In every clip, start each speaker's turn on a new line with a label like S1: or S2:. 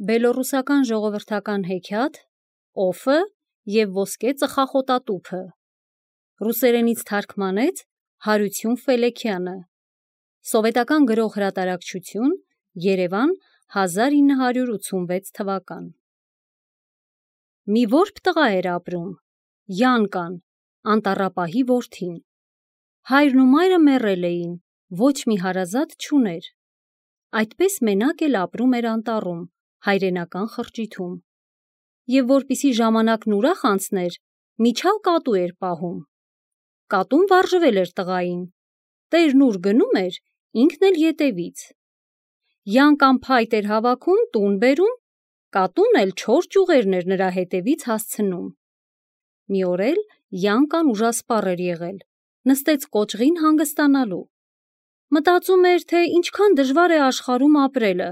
S1: Բելոռուսական ժողովրդական հեքիաթ «Օֆը» և ոսկե ծխախոտատուփը։ Ռուսերենից թարգմանեց Հարություն Ֆելեքյանը։ Սովետական գրող-հրատարակչություն, Երևան, 1986 թվական։ Մի որբ տղա էր ապրում, Յանկան, անտառապահի որդին։ Հայրն ու մայրը մեռել էին, ոչ մի հարազատ չուներ։ Այդպես մենակ էլ ապրում էր անտառում, հայրենական խրճիթում։ Եվ որպիսի ժամանակն ուրախ անցներ, միջալ կատու էր պահում։ Կատուն վարժվել էր տղային։ Տերն ուր գնում էր, ինքն էլ ետևից։ Յանկան փայտ էր հավաքում, տուն բերում, կատուն էլ 4 ճյուղերն էր նրա հետևից հասցնում։ Մի օր էլ Յանկան ուժասպառ էր եղել, նստեց կոճղին հանգստանալու։ Մտածում էր, թե ինչքան դժվար է աշխարհում ապրելը,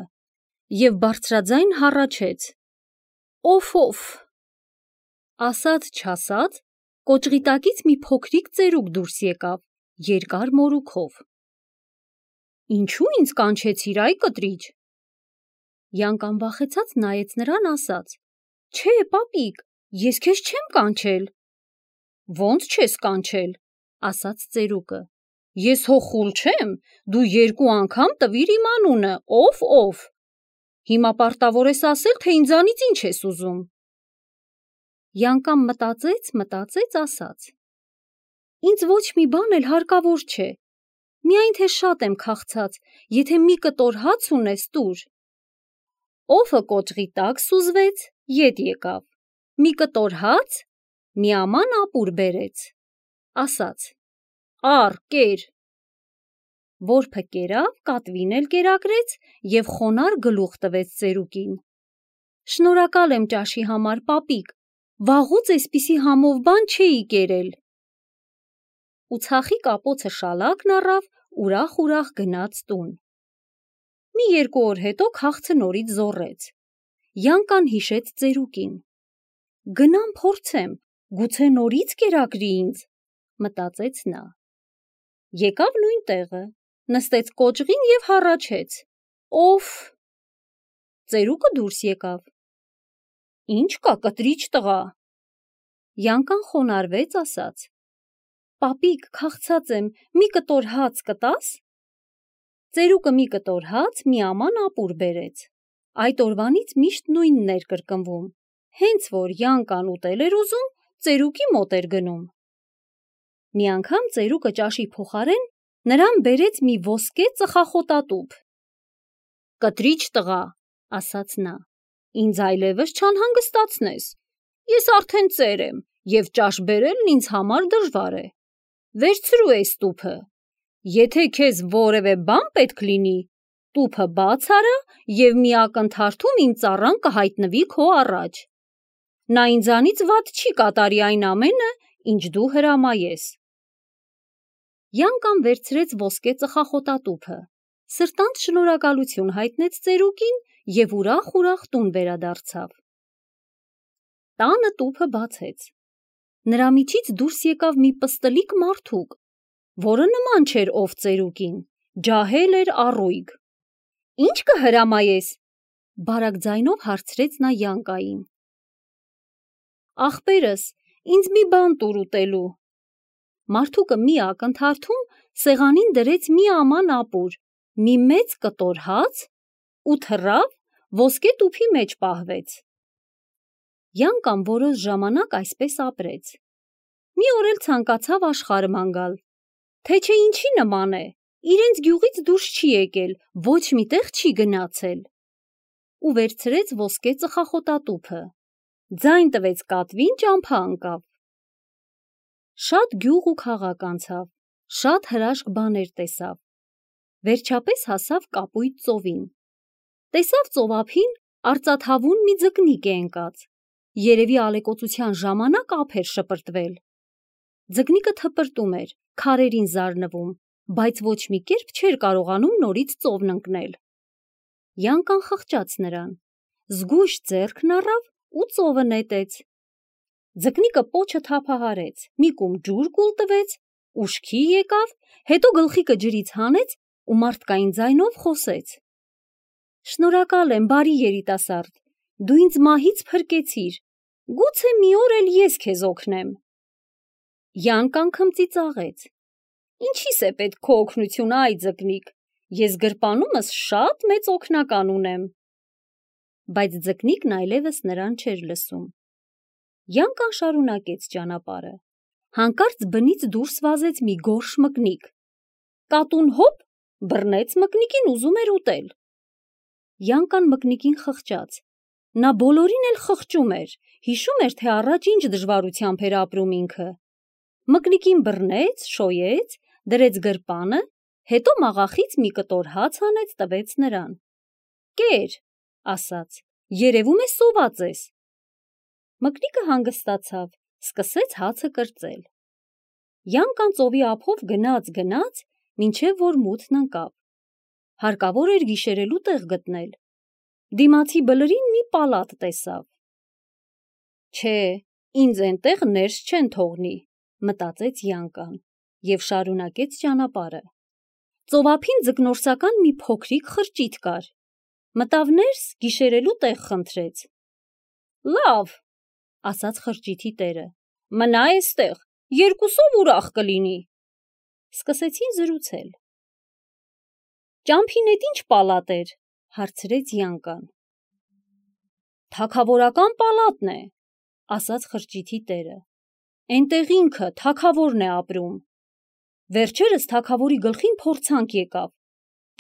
S1: և բարձրաձայն հառաչեց. «Օֆ»։ Ասաց չասաց, կոճղի տակից մի փոքրիկ ծերուկ դուրս եկավ, երկար մորուքով։ «Ինչու ինձ կանչեցիր, այ կտրիճ»։ Յանկան վախեցած նայեց նրան, ասաց. «Չէ, պապիկ, ես քեզ չեմ կանչել»։ «Ոնց չես կանչել», ասաց ծերուկը։ «Ես հո խուլ չեմ, դու 2 անգամ տվիր իմ անունը, Օֆ։ Հիմա պարտավոր ես ասել, թե ինձանից ինչ ես ուզում»։ Յանկան մտածեց, ասաց. «Ինձ ոչ մի բան էլ հարկավոր չէ, միայն թե շատ եմ քաղցած, եթե մի կտոր հաց ունես, տուր»։ Օֆը կոճղի տակ սուզվեց, ետ եկավ, մի կտոր հաց, մի աման ապուր բերեց, ասաց. «Առ, կեր»։ Որբը կերավ, կատվին էլ կերակրեց և խոնարհ գլուխ տվեց ծերուկին. «Շնորհակալ եմ ճաշի համար, պապիկ, վաղուց էսպիսի համով բան չէի կերել»։ Ու ցախի կապոցը շալակն առավ, ուրախ գնաց տուն։ Մի 2 օր հետո քաղցը նորից զոռեց։ Յանկան հիշեց ծերուկին. «Գնամ փորձեմ, գուցե նորից կերակրի ինձ», մտածեց նա։ Եկավ նույն տեղը, նստեց կոճղին և հառաչեց. «Օֆ»։ Ծերուկը դուրս եկավ. «Ինչ կա, կտրիճ տղա»։ Յանկան խոնարհվեց, ասաց. «Պապիկ, քաղցած եմ, մի կտոր հաց կտա՞ս»։ Ծերուկը մի կտոր հաց, մի աման ապուր բերեց։ Այդ օրվանից միշտ նույնն էր կրկնվում. հենց որ Յանկան ուտել էր ուզում, ծերուկի մոտ էր գնում։ Մի անգամ ծերուկը ճաշի փոխարեն նրան բերեց մի ոսկե ծխախոտատուփ։ «Կտրիճ տղա», ասաց նա, «ինձ այլևս չանհանգստացնես։ Ես արդեն ծեր եմ, և ճաշ բերելն ինձ համար դժվար է։ Վերցրու էս տուփը։ Եթե քեզ որևէ բան պետք լինի, տուփը բաց արա և մի ակնթարթում իմ ծառան կհայտնվի քո առաջ։ Նա ինձանից վատ չի կատարի այն ամենը, ինչ դու հրամայես»։ Յանկան վերցրեց ոսկե ծխախոտատուփը, սրտանց շնորհակալություն հայտնեց ծերուկին և ուրախ տուն վերադարձավ։ Տանը տուփը բացեց։ Նրա միջից դուրս եկավ մի պստլիկ մարդուկ, որը նման չէր ով ծերուկին, ջահել էր, առույգ։ «Ինչ կհրամայես», բարակ ձայնով հարցրեց նա Յանկային։ «Ախպերս, ինձ մի բան տուր ուտելու»։ Մարդուկը մի ակնթարթում սեղանին դրեց մի աման ապուր, մի մեծ կտոր հաց ու թռավ, ոսկե տուփի մեջ պահվեց։ Յանկան որոշ ժամանակ այսպես ապրեց։ Մի օր էլ ցանկացավ աշխարհ ման գալ, թե չէ ինչի նման է, իրենց գյուղից դուրս չի եկել, ոչ մի տեղ չի գնացել։ Ու վերցրեց ոսկե ծխախոտատուփը, ձայն տվեց կատվին, ճամփա ընկավ։ Շատ գյուղ ու քաղաք անցավ, շատ հրաշք բաներ տեսավ։ Վերջապես հասավ կապույտ ծովին։ Տեսավ ծով ափին արծաթավուն մի ձկնիկ է ընկած, երևի ալեկոծության ժամանակ ափ էր շպրտվել։ Ձկնիկը թպրտում էր, քարերին զարնվում, բայց ոչ մի կերպ չէր կարողանում նորից ծովն ընկնել։ Յանկան խղճաց նրան, զգույշ ձեռքն առավ ու ծովը նետեց։ Ձկնիկը պոչը թափահարեց, մի կում ջուր կուլ տվեց, ուշքի եկավ, հետո գլխիկը ջրից հանեց ու մարդկային ձայնով խոսեց. Շնորհակալ եմ, բարի երիտասարդ, դու ինձ մահից փրկեցիր, գուցե մի օր էլ ես քեզ օգնեմ։ Յանկան քմծիծաղեց. Ինչի՞ս է պետք քո օգնությունը, այ ձկնիկ, ես գրպանումս շատ մեծ օգնական ունեմ։ Բայց ձկնիկն այլևս նրան չէր լսում։ Յանկան շարունակեց ճանապարհը։ Հանկարծ բնից դուրս վազեց մի գորշ մկնիկ։ Կատուն հոպ բռնեց մկնիկին, ուզում էր ուտել։ Յանկան մկնիկին խղճաց։ Նա բոլորին էլ խղճում էր, հիշում էր, թե առաջ ինչ դժվարությամբ էր ապրում ինքը։ Մկնիկին բռնեց, շոյեց, դրեց գրպանը, հետո մաղախից մի կտոր հաց հանեց, տվեց նրան։ Կեր, ասաց, երևում է սոված ես։ Մկնիկը հանգստացավ, սկսեց հացը կրծել։ Յանկան ծովի ափով գնաց, մինչև որ մութն ընկավ։ Հարկավոր էր գիշերելու տեղ գտնել։ Դիմացի բլրին մի պալատ տեսավ։ Չէ, ինձ էնտեղ ներս չեն թողնի, մտածեց Յանկան և շարունակեց ճանապարհը։ Ծովափին ձկնորսական մի փոքրիկ խրճիթ կար։ Մտավ ներս, գիշերելու տեղ խնդրեց։ Լավ, ասաց խրճիթի տերը, մնա էստեղ, երկուսով ուրախ կլինի։ Սկսեցին զրուցել։ Ճամփին էդ ինչ պալատ էր, հարցրեց Յանկան։ Թագավորական պալատն է, ասաց խրճիթի տերը։ Էնտեղ ինքը թագավորն է ապրում։ Վերջերս թագավորի գլխին փորձանք եկավ։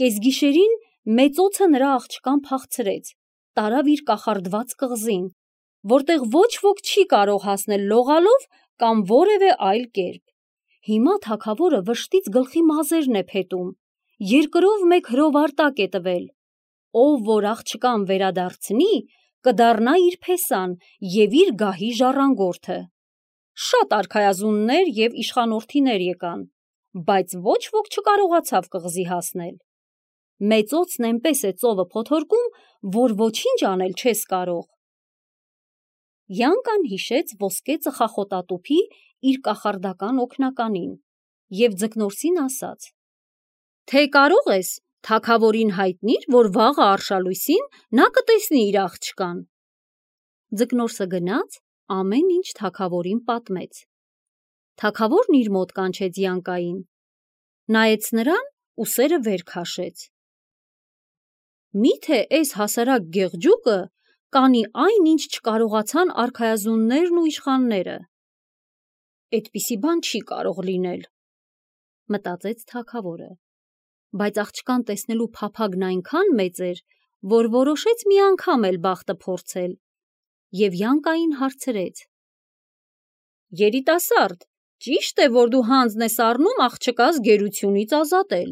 S1: Կեսգիշերին մեծոցը նրա աղջկան փախցրեց, տարավ իր կախարդված կղզին, որտեղ ոչ ոք չի կարող հասնել լողալով կամ որևէ այլ կերպ։ Հիմա թագավորը վշտից գլխի մազերն է փետում, երկրով մեկ հրովարտակ է տվել։ Ով որ աղջկան վերադարձնի, կդառնա իր փեսան և իր գահի ժառանգորդը։ Շատ արքայազուններ և իշխանորդիներ եկան, բայց ոչ ոք չկարողացավ կղզի հասնել։ Մեծոցն էնպես է ծովը փոթորկում, որ ոչինչ անել չես կարող։ Յանկան հիշեց ոսկե ծխախոտատուփի իր կախարդական օգնականին և ձկնորսին ասաց. Թե կարող ես, թագավորին հայտնիր, որ վաղը արշալույսին նա կտեսնի իր աղջկան։ Ձկնորսը գնաց, ամեն ինչ թագավորին պատմեց։ Թագավորն իր մոտ կանչեց Յանկային, նայեց նրան ու սերը վեր քաշեց։ Միթե էս հասարակ գեղջուկը կանի այն, ինչ չկարողացան արքայազուններն ու իշխանները։ Էդպիսի բան չի կարող լինել, մտածեց թագավորը, բայց աղջկան տեսնելու փափագն այնքան մեծ էր, որ որոշեց մի անգամ էլ բախտը փորձել, և Յանկային հարցրեց. Երիտասարդ, ճի՞շտ է, որ դու հանձն ես առնում աղջկաս գերությունից ազատել։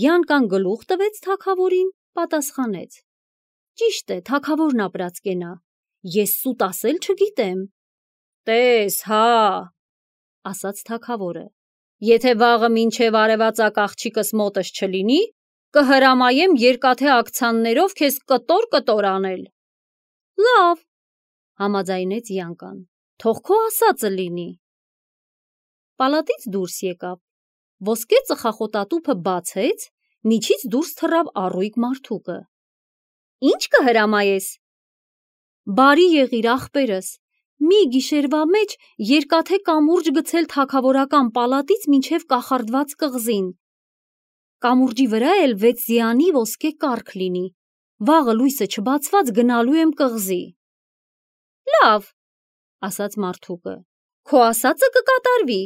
S1: Յանկան գլուխ տվեց թագավորին, պատասխանեց. Ճիշտ է, թագավորն ապրած կենա, ես սուտ ասել չգիտեմ։ Տես, հա, ասաց թագավորը, եթե վաղը մինչև արևածագ աղջիկս մոտս չլինի, կհրամայեմ երկաթե ակցաններով քեզ կտոր անել։ Լավ, համաձայնեց Յանկան, թող քո ասածը լինի։ Պալատից դուրս եկավ, ոսկե ծխախոտատուփը բացեց, միջից դուրս թռավ առույգ մարդուկը։ Ինչ կհրամայես։ Բարի եղիր, ախպերս, մի գիշերվա մեջ երկաթե կամուրջ գցել թագավորական պալատից մինչև կախարդված կղզին։ Կամուրջի վրա էլ 6 ձիանի ոսկե կառք լինի։ Վաղը լույսը չբացված գնալու եմ կղզի։ Լավ, ասաց մարդուկը, քո ասածը կկատարվի։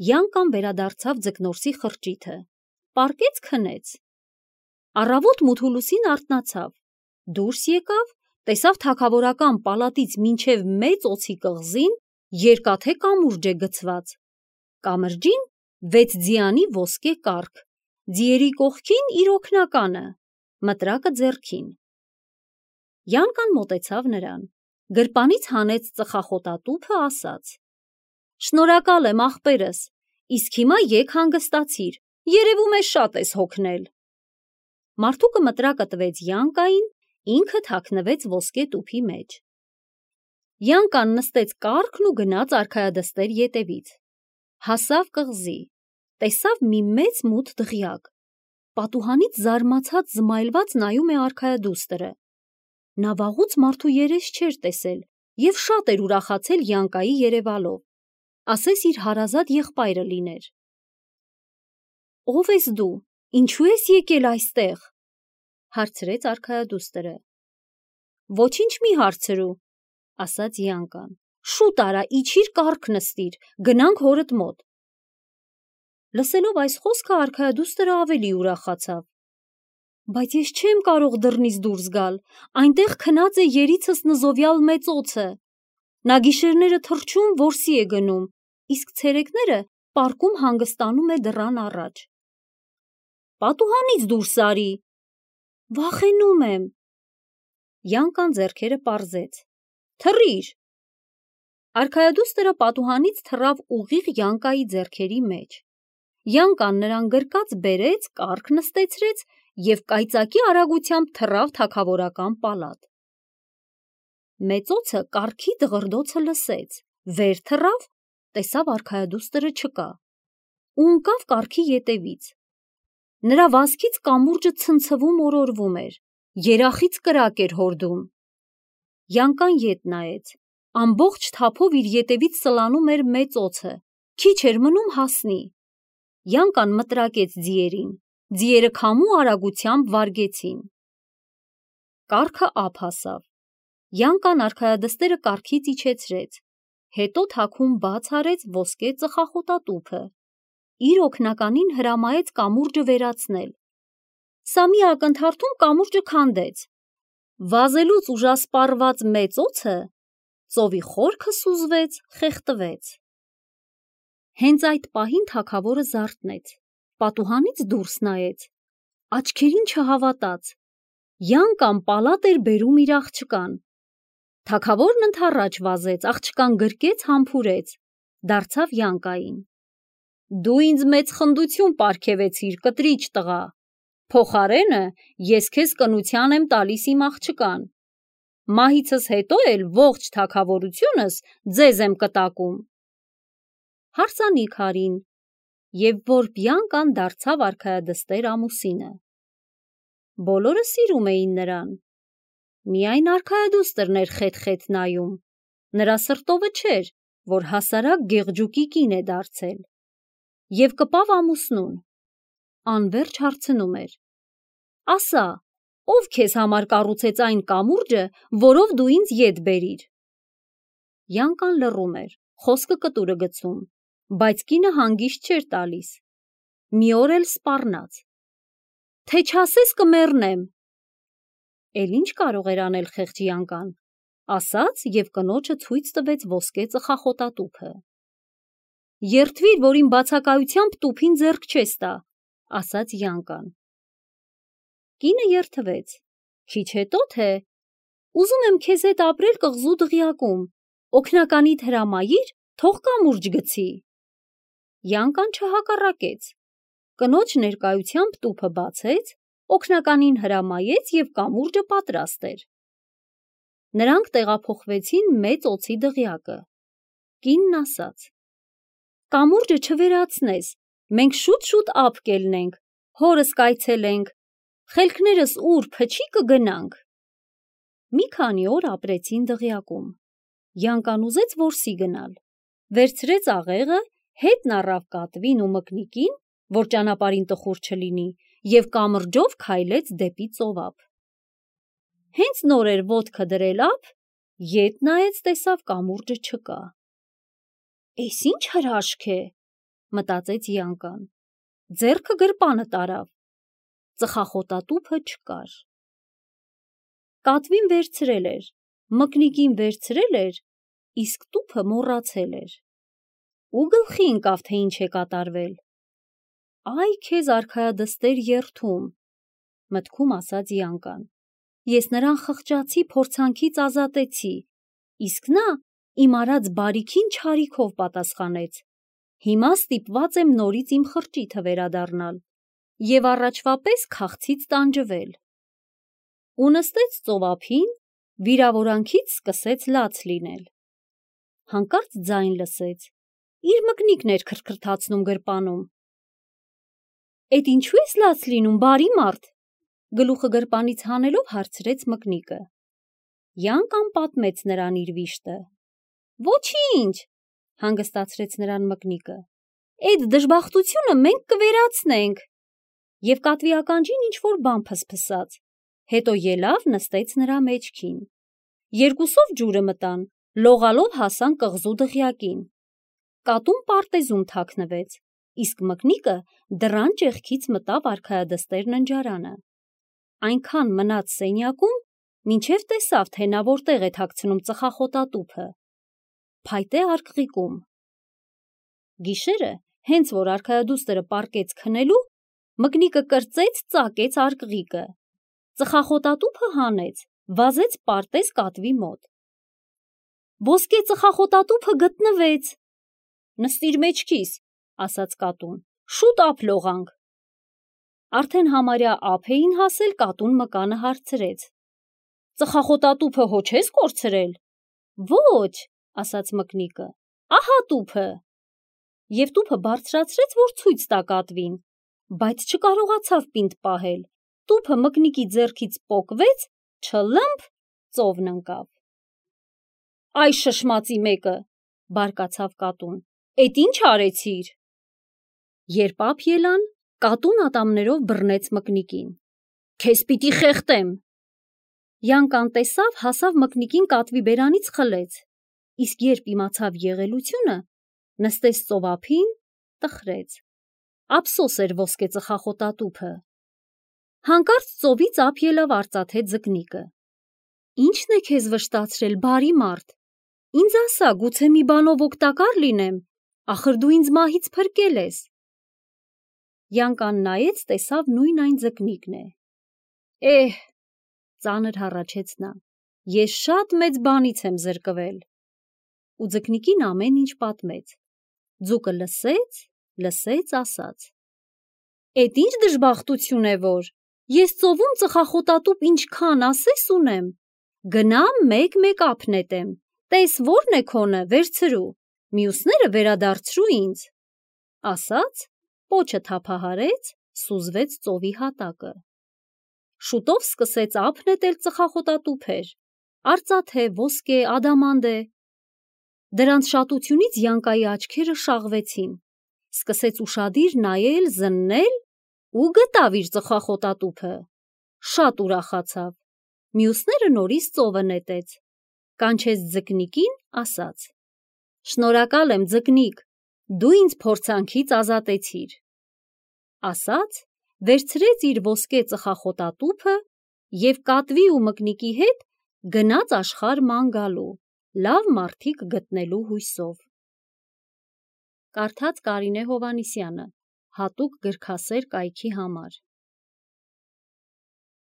S1: Յանկան վերադարձավ ձկնորսի խրճիթը, պառկեց քնեց։ Առավոտ մութուլուսին արթնացավ, դուրս եկավ, տեսավ թագավորական պալատից մինչև մեծ օձի կղզին երկաթե կամուրջ է գցված։ Կամրջին 6 ձիանի ոսկե կառք, ձիերի կողքին իր օգնականը, մտրակը ձեռքին։ Յանկան մոտեցավ նրան, գրպանից հանեց ծխախոտատուփը, ասաց. Շնորհակալ եմ, ախպերս, իսկ հիմա եկ հանգստացիր, երևում է շատ ես հոգնել։ Մարդուկը մտրակը տվեց Յանկային, ինքը թաքնվեց ոսկե տուփի մեջ։ Յանկան նստեց կառքն ու գնաց արքայադստեր ետևից։ Հասավ կղզի, տեսավ մի մեծ մութ դղյակ։ Պատուհանից զարմացած զմայլված նայում է արքայադուստրը։ Նա վաղուց մարդու երես չէր տեսել և շատ էր ուրախացել Յանկայի երևալով, ասես իր հարազատ եղբայրը լիներ։ «Ո՞վ ես դու, ինչու ես եկել այստեղ», հարցրեց արքայադուստրը։ «Ոչինչ մի հարցրու», ասաց Յանկան, «շուտ արա, իջիր կառք նստիր, գնանք հորդ մոտ»։ Լսելով այս խոսքը արքայադուստրը ավելի ուրախացավ։ «Բայց ես չեմ կարող դռնից դուրս գալ, այնտեղ քնած է երիցս նզովյալ մեծ օձը։ Նա գիշերները թռչում, որսի է գնում, իսկ ցերեկները պարկում հանգստանում է դռան առաջ»։ «Պատուհանից դուրս արի»։ «Վախենում եմ»։ Յանկան ձեռքերը պարզեց։ «Թռիր»։ Արքայադուստրը պատուհանից թռավ ուղիղ Յանկայի ձեռքերի մեջ։ Յանկան նրան գրկած բերեց, կառք նստեցրեց և կայծակի արագությամբ թռավ թագավորական պալատ։ Մեծ օձը կառքի դղրդոցը լսեց, վեր թռավ, տեսավ արքայադուստրը չկա ու ընկավ կառքի ետևից։ Նրա վազքից կամուրջը ցնցվում օրորվում էր, երախից կրակ էր հորդում։ Յանկան ետ նայեց, ամբողջ թափով իր ետևից սլանում էր մեծ օձը, քիչ էր մնում հասնի։ Յանկան մտրակեց ձիերին, ձիերը քամու արագությամբ վարգեցին։ Կառքը ափ հասավ։ Յանկան արքայադստերը կառքից իջեցրեց, հետո թաքուն բաց արեց ոսկե ծխախոտատուփը, իր օգնականին հրամայեց կամուրջը վերացնել։ Սա մի ակնթարթում կամուրջը քանդեց։ Վազելուց ուժասպառված մեծ օձը ծովի խորքը սուզվեց, խեղդվեց։ Հենց այդ պահին թագավորը զարթնեց, պատուհանից դուրս նայեց, աչքերին չհավատաց։ Յանկան պալատ էր բերում իր աղջկան։ Թագավորն ընդառաջ վազեց, աղջկան գրկեց, համբուրեց, դարձավ Յանկային։ «Դու ինձ մեծ խնդություն պարգևեցիր, կտրիչ տղա, փոխարենը ես քեզ կնության եմ տալիս իմ աղջկան։ Մահիցս հետո էլ ողջ թագավորությունս ձեզ եմ կտակում»։ Հարսանիք արին, և որբ Յանկան դարձավ արքայադստեր ամուսինը։ Բոլորը սիրում էին նրան։ Միայն արքայադուստրն էր խետ-խետ նայում, նրա սրտովը չէր, որ հասարակ գեղջուկի կին է դարձել։ Եվ կպավ ամուսնուն, անվերջ հարցնում էր. «Ասա, ով քեզ համար կառուցեց այն կամուրջը, որով դու ինձ ետ բերիր»։ Յանկան լռում էր, խոսքը կտուրը գցում, բայց կինը հանգիստ չէր տալիս։ Մի օր էլ սպառնաց. «Թե չասես կմեռնեմ»։ Էլ ինչ կարող էր անել խեղճ Յանկան, ասաց և կնոջը ցույց տվեց ոսկե ծխախոտատուփը։ «Երդվիր, որ իմ բացակայությամբ տուփին ձեռք չես տա», ասաց Յանկան։ Կինը երդվեց. «Քիչ հետո թե ուզում եմ քեզ հետ ապրել կղզու դղյակում, օգնականիդ հրամայիր, թող կամուրջ գցի»։ Յանկան չհակառակեց, կնոջ ներկայությամբ տուփը բացեց, օգնականին հրամայեց և կամուրջը պատրաստ էր։ Նրանք տեղափոխվեցին մեծ օձի դղյակը։ Կինն ասաց. «Կամուրջը չվերացնես, մենք շուտ-շուտ ափ կելնենք, հորս կայցելենք, խելքներս ուր փչի կգնանք»։ Մի քանի օր ապրեցին դղյակում։ Յանկան ուզեց որսի գնալ, վերցրեց աղեղը, հետն առավ կատվին ու մկնիկին, որ ճանապարհին տխուր չլինի, և կամրջով քայլեց դեպի ծովափ։ Հենց նոր էր ոտքը դրել ափ, ետ նայեց, տեսավ կամուրջը չկա։ «Էս ի՞նչ հրաշք է», մտածեց Յանկան։ Ձեռքը գրպանը տարավ, ծխախոտատուփը չկար։ Կատվին վերցրել էր, մկնիկին վերցրել էր, իսկ տուփը մոռացել էր։ Ու գլխի ընկավ, թե ինչ է կատարվել։ «Այ քեզ արքայադստեր երդում», մտքում ասաց Յանկան։ «Ես նրան խղճացի, փորձանքից ազատեցի, իսկ նա իմ արած բարիքին չարիքով պատասխանեց։ Հիմա ստիպված եմ նորից իմ խրճիթը վերադառնալ և առաջվա պես քաղցից տանջվել»։ Ու նստեց ծովափին, վիրավորանքից սկսեց լաց լինել։ Հանկարծ ձայն լսեց, իր մկնիկն էր քրթքրթացնում գրպանում։ Էդ ինչու ես լաց լինում, բարի մարդ, գլուխը գրպանից հանելով հարցրեց Մկնիկը։ Յանկան պատմեց նրան իր վիշտը։ Ոչինչ, հանգստացրեց նրան Մկնիկը։ Էդ դժբախտությունը մենք կվերացնենք։ Եվ կատվի ականջին ինչ-որ բան փսփսաց, հետո ելավ նստեց նրա մեջքին։ Երկուսով ջուրը մտան, լողալով հասան կղզու դղյակին։ Կատուն պարտեզում թաքնվեց, իսկ Մկնիկը դռան ճեղքից մտավ արքայադստեր ննջարանը։ Այնքան մնաց սենյակում, մինչև տեսավ, թե նա որտեղ է թաքցնում ծխախոտատուփը։ Փայտե արկղիկում։ Գիշերը, հենց որ արքայադուստրը պառկեց քնելու, Մկնիկը կրծեց ծակեց արկղիկը։ Ծխախոտատուփը հանեց, վազեց պարտեզ կատվի մոտ։ Ոսկե ծխախոտատուփը գտնվեց։ Նստիր մեջքիս, ասաց կատուն, շուտ ափ լողանք։ Արդեն համարյա ափ էին հասել, կատուն մկանը հարցրեց. Ծխախոտատուփը հո չես կորցրել։ Ոչ, ասաց Մկնիկը, ահա տուփը։ Եվ տուփը բարձրացրեց, որ ցույց տա կատվին, բայց չկարողացավ պինդ պահել։ Տուփը Մկնիկի ձեռքից պոկվեց, չլմփ, ծովն ընկավ։ Այ շշմածի մեկը, բարկացավ կատուն, էդ ինչ արեցիր։ Երբ ափ ելան, կատուն ատամներով բռնեց Մկնիկին։ Քեզ պիտի խեղդեմ։ Յանկան տեսավ, հասավ Մկնիկին կատվի բերանից խլեց, իսկ երբ իմացավ եղելությունը, նստեց ծովափին, տխրեց։ Ափսոս էր ոսկե ծխախոտատուփը։ Հանկարծ ծովից ափ ելավ արծաթե ձկնիկը։ Ի՞նչն է քեզ վշտացրել, բարի մարդ։ Ինձ ասա, գուցե մի բանով օգտակար լինեմ, ախր դու ինձ մահից փրկել ես։ Յանկան նայեց, տեսավ նույն այն ձկնիկն է։ Էհ, ծանր հառաչեց նա, ես շատ մեծ բանից եմ զրկվել։ Ու ձկնիկին ամեն ինչ պատմեց։ Ձուկը լսեց, ասաց. Էդ ինչ դժբախտություն է, որ ես ծովում ծխախոտատուփ ինչքան ասես ունեմ, գնամ մեկ-մեկ ափ նետեմ, տես որն է քոնը, վերցրու, մյուսները վերադարձրու ինձ։ Ասաց, պոչը թափահարեց, սուզվեց ծովի հատակը։ Շուտով սկսեց ափ նետել ծխախոտատուփեր, արծաթե, ոսկե, ադամանդե։ Դրանց շատությունից Յանկայի աչքերը շաղվեցին, սկսեց ուշադիր նայել, զննել ու գտավ իր ծխախոտատուփը։ Շատ ուրախացավ, մյուսները նորից ծովը նետեց, կանչեց ձկնիկին, ասաց. Շնորհակալ եմ, ձկնիկ, դու ինձ փորձանքից ազատեցիր։ Ասաց, վերցրեց իր ոսկե ծխախոտատուփը և կատվի ու Մկնիկի հետ գնաց աշխարհ ման գալու, լավ մարդիկ գտնելու հույսով։ Կարդաց Կարինե Հովհաննիսյանը, հատուկ գրքասեր կայքի համար։